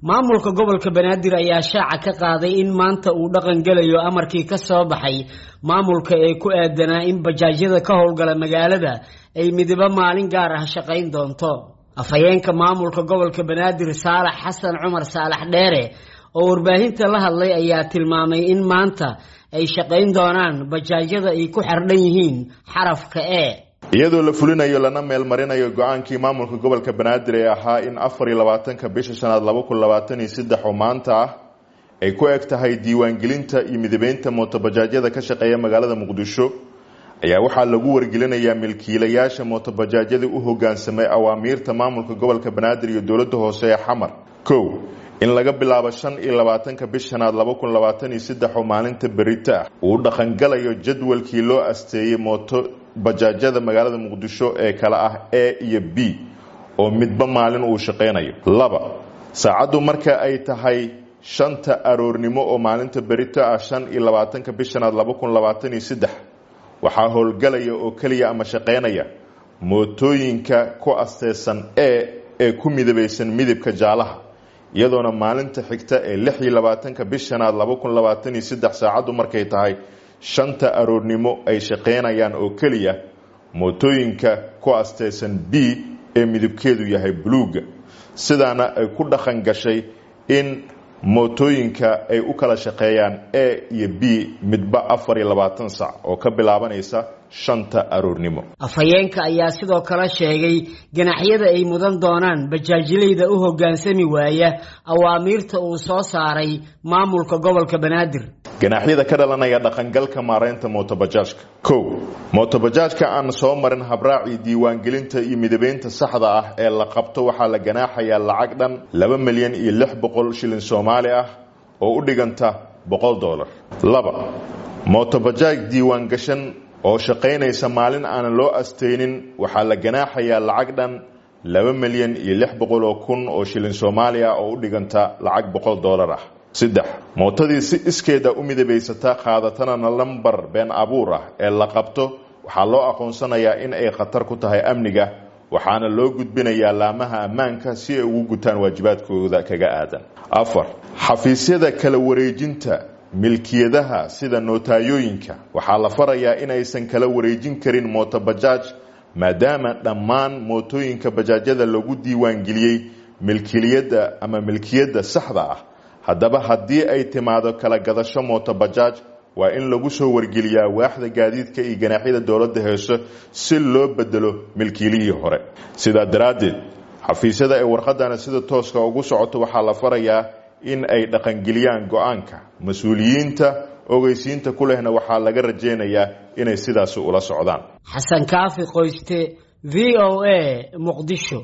Maamulka gobolka Banaadir ayaa shaaca ka qaaday in maanta uu dhaqan gelayo amarkii ka soo baxay maamulka ee ku aadanaa in bajaajyada ka howlgala magaalada ay midibo maalin gaar ah shaqayn doonto. Afhayeenka maamulka gobolka Banaadir Saalax Xasan Cumar Saalax Dheere oo warbaahinta la hadlay ayaa tilmaamay in maanta ay shaqayn doonaan bajaajyada ay ku xardhan yihiin xarafka E. Iyadoo la fulinayo lana meelmarinayo go-aankii maamulka gobolka Banaadir ee ahaa in 24-ka bisha shanaad 2023 oo maanta ah ay ku eg tahay diiwaangelinta iyo midabeynta mootobajaajyada ka shaqeeya magaalada Muqdisho, ayaa waxaa lagu wargelinayaa milkiilayaasha mootobajaajyada u hogaansamay awaamiirta maamulka gobolka Banaadir iyo dowladda hoose ee Xamar: 1, in laga bilaabo 25-ka bish shanaad 2023 oo maalinta berita ah uu dhaqangalayo jadwalkii loo asteeyey mooto bajaajyada magaalada Muqdisho ee kala ah A iyo B oo midba maalin uu shaqeynayo. 2, saacaddu marka ay tahay 5-ta aroornimo oo maalinta berito ah 25-ka bish shanaad 2023 waxaa howlgalaya oo keliya ama shaqeynaya mootooyinka ku asteysan E ee ku midabaysan midabka jaalaha, iyadoona maalinta xigta ee 26-ka bish shanaad 2023 saacaddu markay tahay 5-ta aroornimo ay shaqeynayaan oo keliya mootooyinka ku asteysan B ee midabkeedu yahay buluuga. Sidaana ay ku dhaqan gashay in mootooyinka ay u kala shaqeeyaan A iyo B midba 24 sac oo ka bilaabanaysa 5-ta aroornimo. Afhayeenka ayaa sidoo kale sheegay ganaxyada ay mudan doonaan bajaajileyda u hoggaansami waaya awaamiirta uu soo saaray maamulka gobolka Banaadir. Ganaaxyada ka dhalanaya dhaqangalka maareynta mootobajaajka: 1, mootobajaajka aan soo marin habraacii diiwaangelinta iyo midabeynta saxda ah ee la qabto waxaa la ganaaxayaa lacag dhan 2,600,000 shilin Soomaali ah oo u dhiganta $100. 2, mootobajaaj diiwaan gashan oo shaqaynaysa maalin aanan loo asteynin waxaa la ganaaxayaa lacag dhan 2,600,000 oo shilin Soomaali ah oo u dhiganta lacag $100 ah. 3, mootadii si iskeeda u midabaysata qaadatana lambar been abuur ah ee la qabto waxaa loo aqoonsanayaa in ay khatar ku tahay amniga, waxaana loo gudbinayaa laamaha ammaanka si ay ugu gutaan waajibaadkooda kaga aadan. 4, xafiisyada kala wareejinta milkiyadaha sida notaayooyinka waxaa la farayaa inaysan kala wareejin karin mootobajaaj, maadaama dhammaan mootooyinka bajaajyada lagu diiwaangeliyey milkiliyadda ama milkiyadda saxda ah. Haddaba haddii ay timaado kala gadasho mootobajaaj, waa in lagu soo wargeliyaa waaxda gaadiidka iyo ganaaxyada dowladda heeso si loo bedelo milkiilihii hore. Sidaa daraaddeed, xafiisyada ay warqadana sida tooska ugu socoto waxaa la farayaa in ay dhaqangeliyaan go-aanka. Mas-uuliyiinta ogeysiinta ku lehna waxaa laga rajaynayaa inay sidaasi ula socdaan. Xasan Kaafi Qoyste, VOA, Muqdisho.